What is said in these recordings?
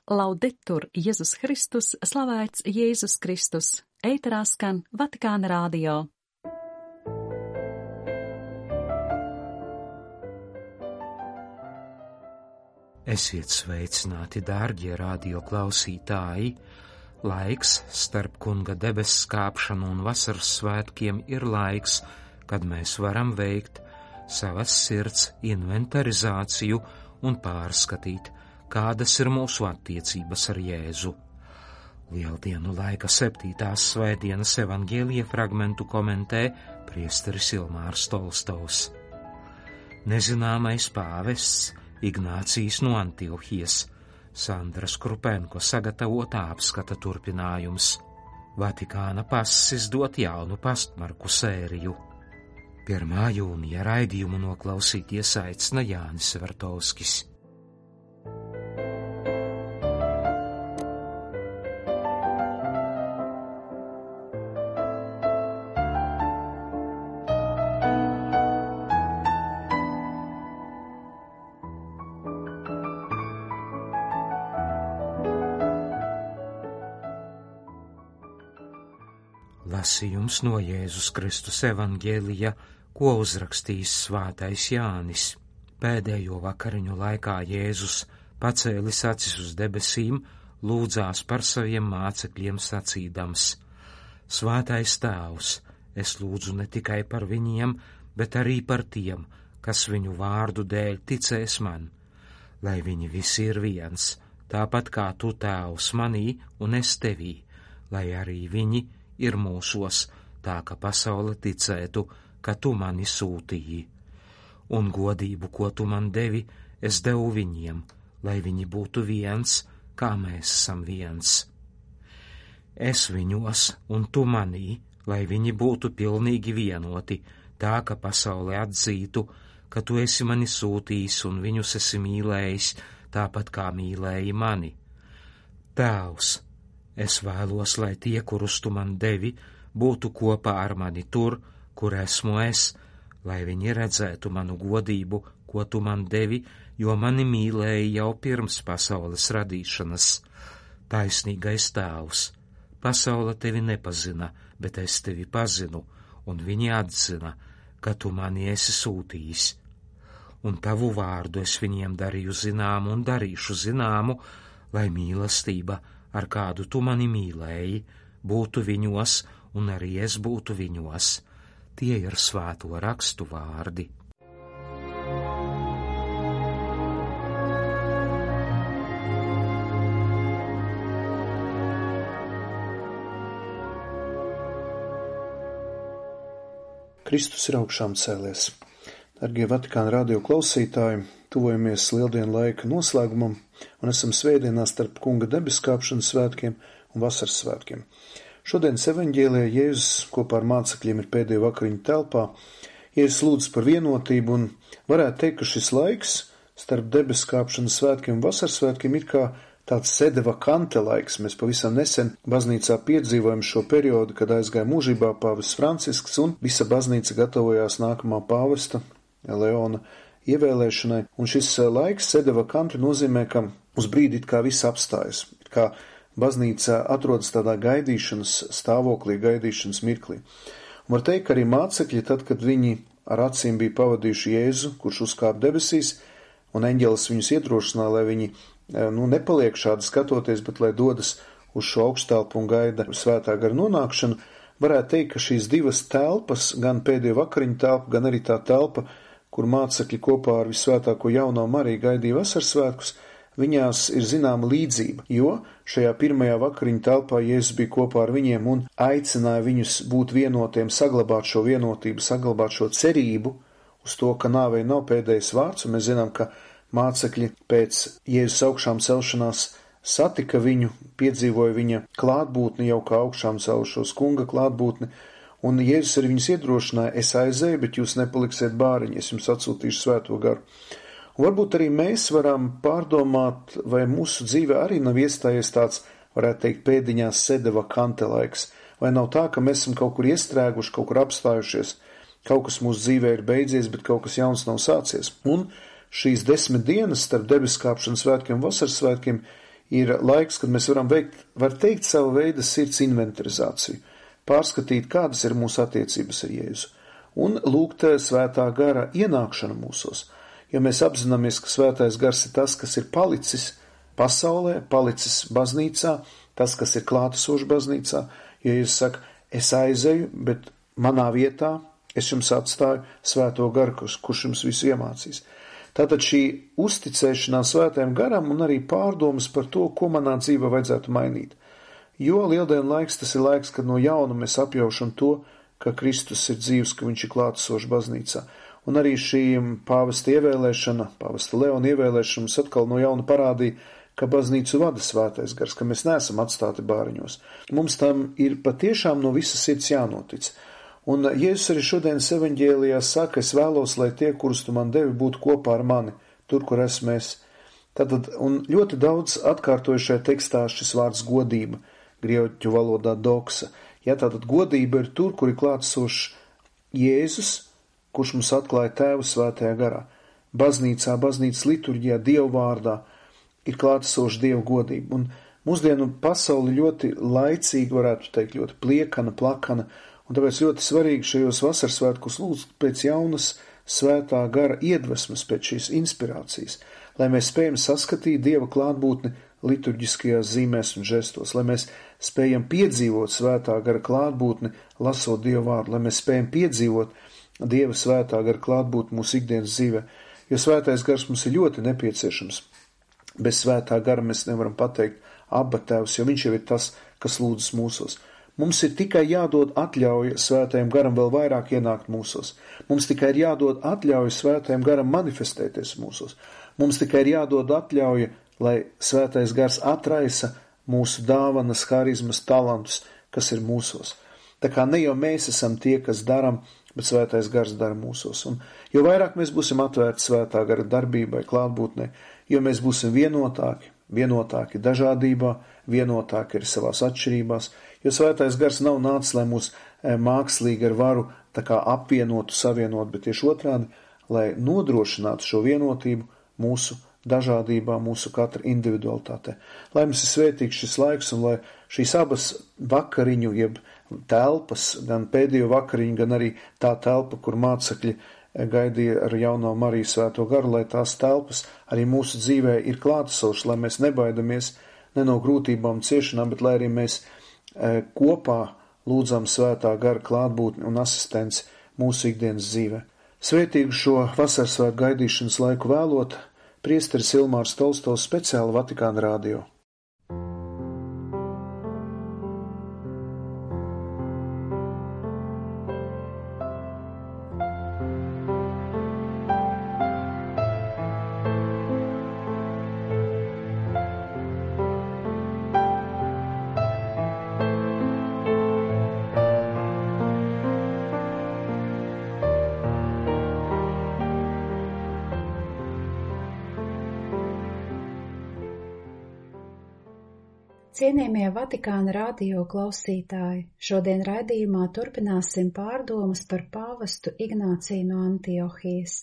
Laudetur Jēzus Kristus, slavēts Jēzus Kristus, ēterā skan Vatikāna radio. Esiet sveicināti, dārgie radio klausītāji! Laiks starp Kunga debesu kāpšanu un vasaras svētkiem ir laiks, kad mēs varam veikt savas sirds inventarizāciju un pārskatīt, kādas ir mūsu attiecības ar Jēzu. Lieldienu laika 7. svētdienas evaņģēlija fragmentu komentē priesteris Ilmārs Tolstovs. Nezināmais pāvests Ignācijs no Antiohijas, Sandras Krupenko sagatavotā apskata turpinājums. Vatikāna pass izdot jaunu pastmarku sēriju. 1. jūnija raidījumu noklausīties aicina Jānis Vertovskis. Lasījums no Jēzus Kristus evaņģēlija, ko uzrakstījis svētais Jānis. Pēdējo vakariņu laikā Jēzus, pacēlis acis uz debesīm, lūdzās par saviem mācekļiem sacīdams: Svētais Tēvs, es lūdzu ne tikai par viņiem, bet arī par tiem, kas viņu vārdu dēļ ticēs man, lai viņi visi ir viens, tāpat kā tu, Tēvs, manī un es tevī, lai arī viņi ir mūsos, tā ka pasaule ticētu, ka tu mani sūtīji. Un godību, ko tu man devi, es devu viņiem, lai viņi būtu viens, kā mēs esam viens. Es viņos un tu manī, lai viņi būtu pilnīgi vienoti, tā ka pasaule atzītu, ka tu esi mani sūtījis un viņus esi mīlējis, tāpat kā mīlēji mani. Tēvs, es vēlos, lai tie, kurus tu man devi, būtu kopā ar mani tur, kur esmu es, lai viņi redzētu manu godību, ko tu man devi, jo mani mīlēja jau pirms pasaules radīšanas. Taisnīgais Tēvs, pasaule tevi nepazina, bet es tevi pazinu, un viņi atzina, ka tu mani esi sūtījis. Un tavu vārdu es viņiem darīju zināmu un darīšu zināmu, lai mīlestība, ar kādu tu mani mīlēji, būtu viņos, un arī es būtu viņos. Tie ir svēto rakstu vārdi. Kristus ir augšām cēlies. Dargie Vatikāna radio klausītāji, tuvojamies lieldienu laika noslēgumam un esam svētdienā starp Kunga debeskāpšanas svētkiem un vasaras svētkiem. Šodienas evaņģēlijā Jēzus kopā ar mācekļiem ir pēdējo vakariņu telpā. Jēzus lūdz par vienotību un varētu teikt, ka šis laiks starp debeskāpšanas svētkiem un vasaras svētkiem ir kā tāds sede vakante laiks. Mēs pavisam nesen baznīcā piedzīvojam šo periodu, kad aizgāja mūžībā pāvests Francisks un visa baznīca gatavojās nākamā pāvesta Leona ievēlēšanai. Un šis laiks sede vakante nozīmē, ka uz brīdi it kā viss apstājas, it kā baznīca atrodas tādā gaidīšanas stāvoklī, gaidīšanas mirklī. Un var teikt, ka arī mācekļi, tad, kad viņi ar acīm bija pavadījuši Jēzu, kurš uzkāpa debesīs, un eņģelis viņus iedrošināja, lai viņi nepaliek šādi skatoties, bet lai dodas uz šo augštelpu un gaida svētā gara nonākšanu, varētu teikt, ka šīs divas telpas, gan pēdējo vakariņu telpa, gan arī tā telpa, kur mācekļi kopā ar visvētāko jauno Mariju gaidīja vasaras svētkus, viņās ir zināma līdzība, jo šajā pirmajā vakariņu telpā Jēzus bija kopā ar viņiem un aicināja viņus būt vienotiem, saglabāt šo vienotību, saglabāt šo cerību uz to, ka nāvei nav pēdējais vārds, un mēs zinām, ka mācekļi pēc Jēzus augšām celšanās satika viņu, piedzīvoja viņa klātbūtni, jau kā augšām celšos Kunga klātbūtni, un Jēzus arī viņus iedrošināja: es aizēju, bet jūs nepaliksiet bāriņi, es jums atsūtīšu svēto garu. Un varbūt arī mēs varam pārdomāt, vai mūsu dzīve arī nav iestājies tāds, varētu teikt, pēdiņās sede vakante laiks, vai nav tā, ka mēs esam kaut kur iestrēguši, kaut kur apstājušies, kaut kas mūsu dzīvē ir beidzies, bet kaut kas jauns nav sācies. Un šīs 10 dienas starp debeskāpšanas svētkiem un vasaras svētkiem ir laiks, kad mēs varam veikt, var teikt, savu veidu sirds inventarizāciju, pārskatīt, kādas ir mūsu attiecības ar Jēzu, un lūgt svētā gara ienākšanu mūsos, jo mēs apzināmies, ka svētais gars ir tas, kas ir palicis pasaulē, palicis baznīcā, tas, kas ir klātesošs baznīcā, jo Jēzus saka, es aizeju, bet manā vietā es jums atstāju svēto garu, kurš jums visu iemācīs. Tātad šī uzticēšanās svētajam garam un arī pārdomas par to, ko manā dzīvē vajadzētu mainīt. Jo lieldienu laiks tas ir laiks, kad no jauna mēs apjaušam to, ka Kristus ir dzīvs, ka viņš ir klātesošs baznīcā. Un arī šī pāvesta ievēlēšana, pāvesta Leona ievēlēšana mums atkal no jauna parādīja, ka baznīcu vada svētais gars, ka mēs neesam atstāti bāriņos. Mums tam ir patiešām no visas sirds jānotic. Un Jēzus arī šodienas evaņģēlijā saka, es vēlos, lai tie, kurus tu man devi, būtu kopā ar mani, tur, kur esmu es. Tātad, un ļoti daudz atkārtojušajā tekstā šis vārds godība, grieķu valodā doksa. Ja, tātad godība ir tur, kur ir klātsošs Jēzus, kurš mums atklāja Tēvu svētajā garā. Baznīcā, baznīcas liturģijā, Dievu vārdā ir klātsoša Dieva godība. Un mūsdienu pasauli ļoti laicīgi, varētu teikt, ļoti pliekana, plakana, un tāpēc ļoti svarīgi šajos vasarsvētkos lūgt pēc jaunas svētā gara iedvesmas, pēc šīs inspirācijas, lai mēs spējam saskatīt Dieva klātbūtni liturģiskajās zīmēs un žestos, lai mēs spējam piedzīvot svētā gara klātbūtni, lasot Dieva vārdu, lai mēs spējam piedzīvot Dieva svētā gara klātbūtni mūsu ikdienas dzīvē, jo svētais gars mums ir ļoti nepieciešams. Bez svētā gara mēs nevaram pateikt Abba Tēvs, jo viņš jau ir tas, kas lūdzas mūsos. Mums ir tikai jādod atļauja svētajam garam vēl vairāk ienākt mūsos. Mums tikai ir jādod atļauja svētajam garam manifestēties mūsos. Mums tikai ir jādod atļauja, lai svētais gars atraisa mūsu dāvanas, harizmas, talantus, kas ir mūsos. Tā kā ne jau mēs esam tie, kas daram, bet svētais gars dara mūsos. Un jo vairāk mēs būsim atvērti svētā gara darbībai, klātbūtnē, jo mēs būsim vienotāki dažādībā, vienotāki arī savās atšķirībās, jo svētais gars nav nācis, lai mūs mākslīgi ar varu tā kā apvienotu, savienot, bet tieši otrādi, lai nodrošinātu šo vienotību mūsu dažādībā, mūsu katra individualitātē. Lai mums ir svētīgs šis laiks un lai šīs abas vakariņu, jeb telpas, gan pēdējo vakariņu, gan arī tā telpa, kur mācekļi gaidīja ar jauno Mariju svēto garu, lai tās telpas arī mūsu dzīvē ir klātesošas, lai mēs nebaidamies ne no grūtībām, ciešanām, bet lai arī mēs kopā lūdzam svētā gara klātbūtni un asistenci mūsu ikdienas dzīvē. Svētīgu šo vasarsvētku gaidīšanas laiku vēlot, priesteris Ilmārs Tolstovs, speciāli Vatikāna radio. Cienījamie Vatikāna radio klausītāji, šodien raidījumā turpināsim pārdomas par pāvestu Ignāciju no Antiohijas.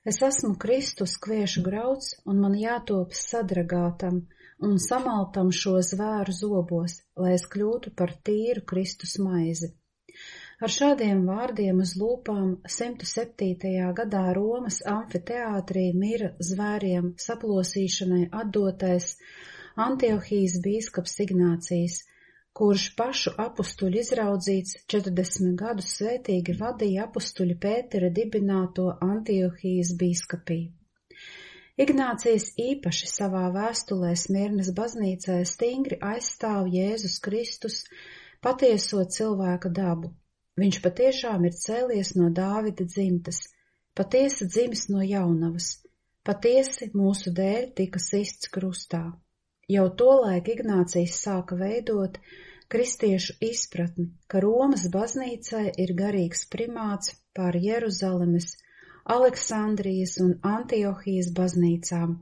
Es esmu Kristus kviešu grauds, un man jātop sadragātam un samaltam šo zvēru zobos, lai es kļūtu par tīru Kristus maizi. Ar šādiem vārdiem uz lūpām 107. gadā Romas amfiteātrī mira zvēriem saplosīšanai atdotais Antiohijas bīskaps Ignācijs, kurš pašu apustuļu izraudzīts 40 gadus svētīgi vadīja apustuļa Pētera dibināto Antiohijas bīskapiju. Ignācijs īpaši savā vēstulē Smirnas baznīcai stingri aizstāv Jēzus Kristus patieso cilvēka dabu. Viņš patiešām ir cēlies no Dāvida dzimtas, patiesi dzimis no jaunavas, patiesi mūsu dēļ tika sists krustā. Jau tolaik Ignācijs sāka veidot kristiešu izpratni, ka Romas baznīcai ir garīgs primāts pār Jeruzalemes, Aleksandrijas un Antiohijas baznīcām.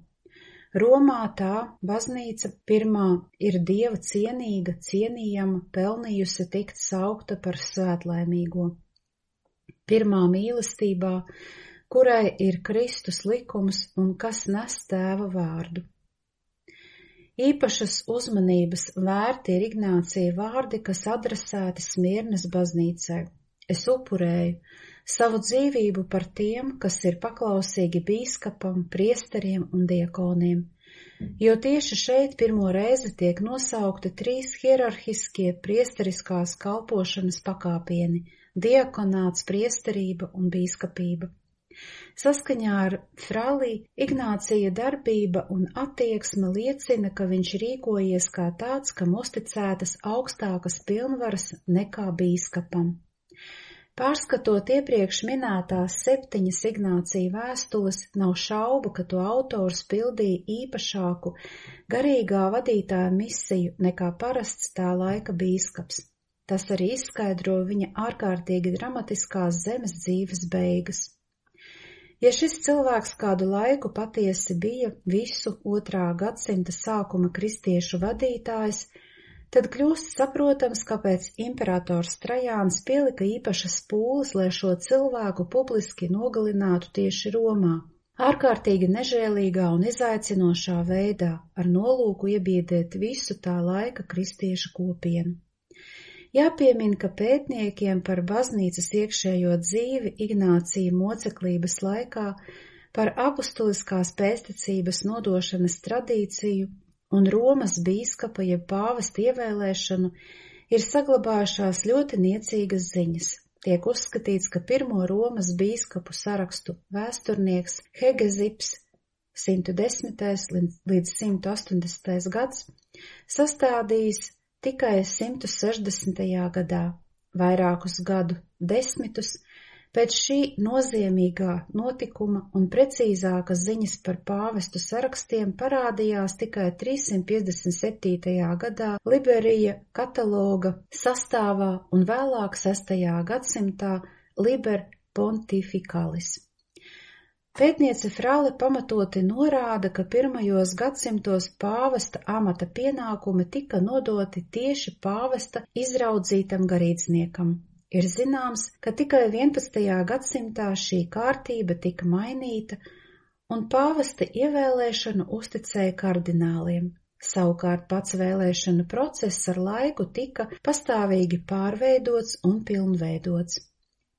Romā tā baznīca pirmā ir Dieva cienīga, cienījama, pelnījusi tikt saukta par svētlaimīgo. Pirmā mīlestībā, kurai ir Kristus likums un kas nes Tēva vārdu. Īpašas uzmanības vērti ir Ignācija vārdi, kas adresēti Smirnas baznīcai. Es upurēju savu dzīvību par tiem, kas ir paklausīgi bīskapam, priesteriem un diakoniem, jo tieši šeit pirmo reizi tiek nosaukti 3 hierarhiskie priesteriskās kalpošanas pakāpieni – diakonāts, priesterība un bīskapība. Saskaņā ar Frali Ignācija darbība un attieksme liecina, ka viņš rīkojies kā tāds, kam uzticētas augstākas pilnvaras nekā bīskapam. Pārskatot iepriekš minētās 7 Ignācija vēstules, nav šaubu, ka to autors pildīja īpašāku garīgā vadītāja misiju nekā parasts tā laika bīskaps. Tas arī izskaidro viņa ārkārtīgi dramatiskās zemes dzīves beigas. Ja šis cilvēks kādu laiku patiesi bija visu 2. gadsimta sākuma kristiešu vadītājs, tad kļūst saprotams, kāpēc imperators Trajāns pielika īpašas pūles, lai šo cilvēku publiski nogalinātu tieši Romā, ārkārtīgi nežēlīgā un izaicinošā veidā, ar nolūku iebiedēt visu tā laika kristiešu kopienu. Jāpiemina, ka pētniekiem par baznīcas iekšējo dzīvi Ignācija moceklības laikā, par apustuliskās pēstniecības nodošanas tradīciju un Romas bīskapa jeb pāvesta ievēlēšanu ir saglabājušās ļoti niecīgas ziņas. Tiek uzskatīts, ka pirmo Romas bīskapu sarakstu vēsturnieks Hegezips 110. līdz 180. gads sastādījis tikai 160. gadā, vairākus gadu desmitus, pēc šī nozīmīgā notikuma un precīzākas ziņas par pāvestu sarakstiem parādījās tikai 357. gadā Liberija kataloga sastāvā un vēlāk 6. gadsimtā Liber Pontificalis. Pētniece Frale pamatoti norāda, ka pirmajos gadsimtos pāvesta amata pienākumi tika nodoti tieši pāvesta izraudzītam garīdzniekam. Ir zināms, ka tikai 11. gadsimtā šī kārtība tika mainīta un pāvesta ievēlēšanu uzticēja kardināliem. Savukārt pats vēlēšanu process ar laiku tika pastāvīgi pārveidots un pilnveidots.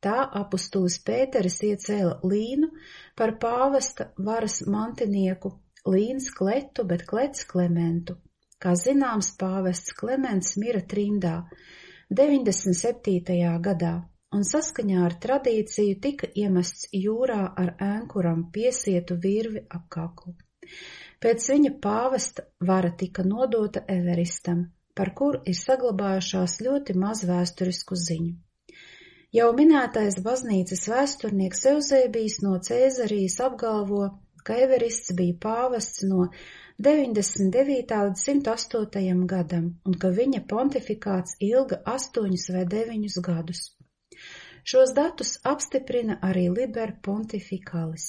Tā apustulis Pēteris iecēla Līnu par pāvesta varas mantinieku, Līns Kletu, bet Klets Klementu. Kā zināms, pāvests Klements mira trimdā 97. gadā, un saskaņā ar tradīciju tika iemests jūrā ar ēnkuram piesietu virvi ap kaklu. Pēc viņa pāvesta vara tika nodota Everistam, par kuru ir saglabājušās ļoti maz vēsturisku ziņu. Jau minētais baznīcas vēsturnieks Euzēbijs no Cēzarijas apgalvo, ka Everists bija pāvests no 99. līdz 108. gadam un ka viņa pontifikāts ilga 8 vai 9 gadus. Šos datus apstiprina arī Liber Pontificalis.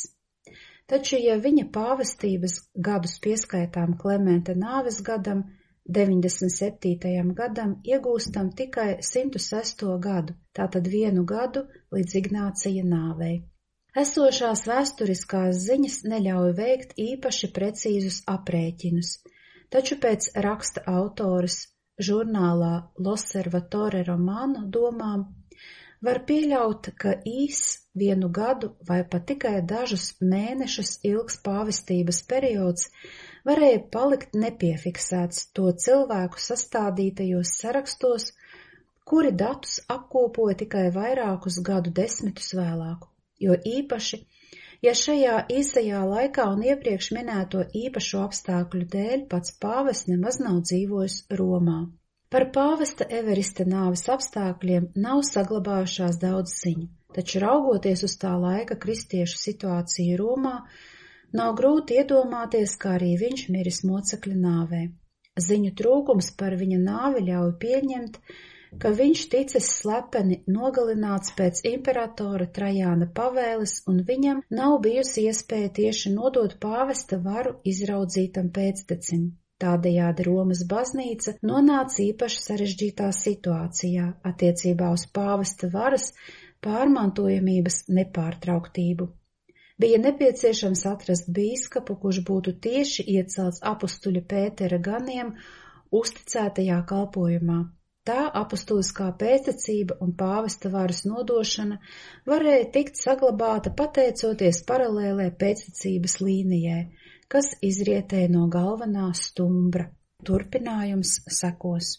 Taču, ja viņa pāvestības gadus pieskaitām Klementa nāves gadam, 97. gadam iegūstam tikai 106. gadu, tātad 1 gadu līdz Ignācija nāvei. Esošās vēsturiskās ziņas neļauj veikt īpaši precīzus aprēķinus, taču pēc raksta autoras žurnālā L'Osservatore Romano domām var pieļaut, ka 1 gadu vai pat tikai dažus mēnešus ilgs pāvestības periods varēja palikt nepiefiksēts to cilvēku sastādītajos sarakstos, kuri datus apkopoja tikai vairākus gadu desmitus vēlāk, jo īpaši, ja šajā īsajā laikā un iepriekš minēto īpašo apstākļu dēļ pats pāvests nemaz nav dzīvojis Romā. Par pāvesta Everista nāves apstākļiem nav saglabājušās daudz ziņu, taču raugoties uz tā laika kristiešu situāciju Romā, nav grūti iedomāties, kā arī viņš miris mocekļa nāvē. Ziņu trūkums par viņa nāvi ļauj pieņemt, ka viņš ticis slepeni nogalināts pēc imperatora Trajāna pavēles un viņam nav bijusi iespēja tieši nodot pāvesta varu izraudzītam pēctecim. Tādējādi Romas baznīca nonāca īpaši sarežģītā situācijā attiecībā uz pāvesta varas pārmantojamības nepārtrauktību. Bija nepieciešams atrast bīskapu, kurš būtu tieši iecelts apustuļa Pētera ganiem uzticētajā kalpojumā. Tā apustuliskā pēctecība un pāvesta varas nodošana varēja tikt saglabāta pateicoties paralēlē pēctecības līnijai, kas izrietēja no galvenā stumbra. Turpinājums sekos.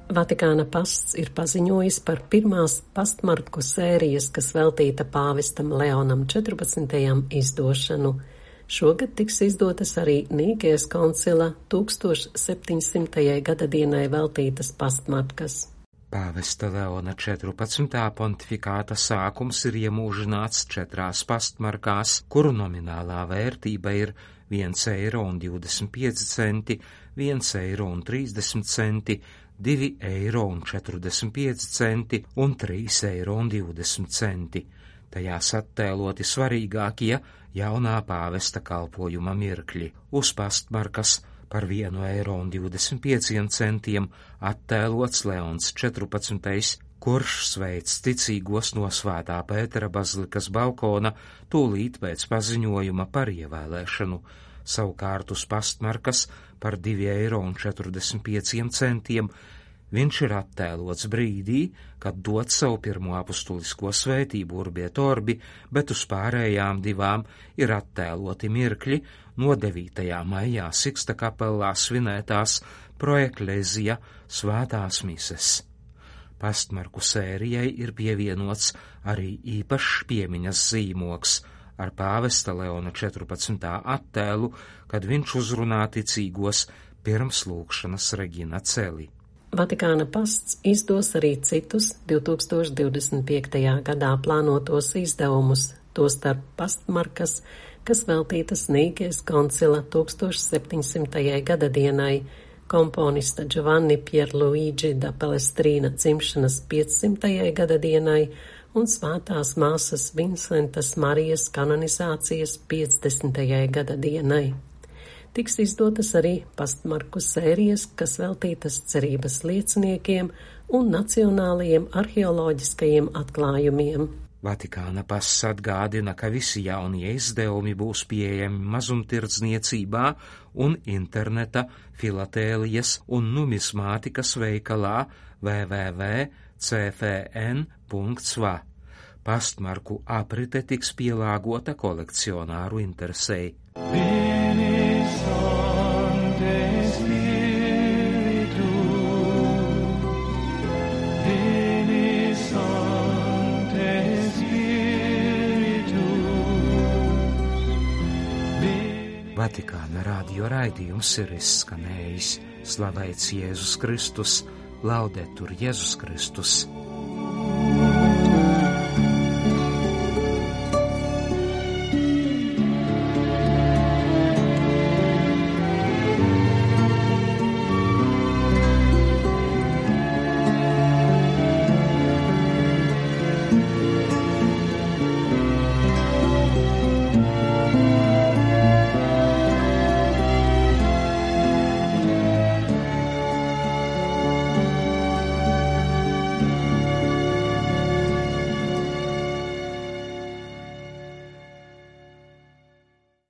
Vatikāna pasts ir paziņojis par pirmās pastmarku sērijas, kas veltīta pāvestam Leonam 14. izdošanu. Šogad tiks izdotas arī Nīkijas koncila 1700. gadadienai veltītas pastmarkas. Pāvesta Leona 14. pontifikāta sākums ir iemūžināts 4 pastmarkās, kuru nominālā vērtība ir 1,25 eiro, 1,30 eiro, 2,45 eiro un 3,20 eiro. Tajās attēloti svarīgākie jaunā pāvesta kalpojuma mirkļi. Uz pastmarkas par 1,25 eiro attēlots Leons 14., kurš sveic ticīgos no Svētā Pētera bazilikas balkona tūlīt pēc paziņojuma par ievēlēšanu. Savukārt uz pastmarkas par 2,45 eiro viņš ir attēlots brīdī, kad dod savu pirmo apustulisko svētību Urbi et Orbi, bet uz pārējām 2 ir attēloti mirkļi no 9. maijā Siksta kapellā svinētās Pro Ecclesia svētās mises. Pastmarku sērijai ir pievienots arī īpašs piemiņas zīmoks ar pāvesta Leona 14. attēlu, kad viņš uzrunā ticīgos pirms lūgšanas Regina Celi. Vatikāna pasts izdos arī citus 2025. gadā plānotos izdevumus, tostarp pastmarkas, kas veltītas Nīkijas koncila 1700. gadadienai, komponista Giovanni Pierluigi da Palestrina dzimšanas 500. gadadienai un svētās māsas Vincentas Marijas kanonizācijas 50. gadadienai. Tiks izdotas arī pastmarku sērijas, kas veltītas cerības lieciniekiem un nacionālajiem arheoloģiskajiem atklājumiem. Vatikāna pasts atgādina, ka visi jaunie izdevumi būs pieejami mazumtirdzniecībā un interneta, filatēlijas un numismātikas veikalā www.cfn.va. Pastmarku aprite tiks pielāgota kolekcionāru interesei. Vatikāna radio raidījums ir izskanējis. Slavēts Jēzus Kristus, Laudetur Jēzus Kristus.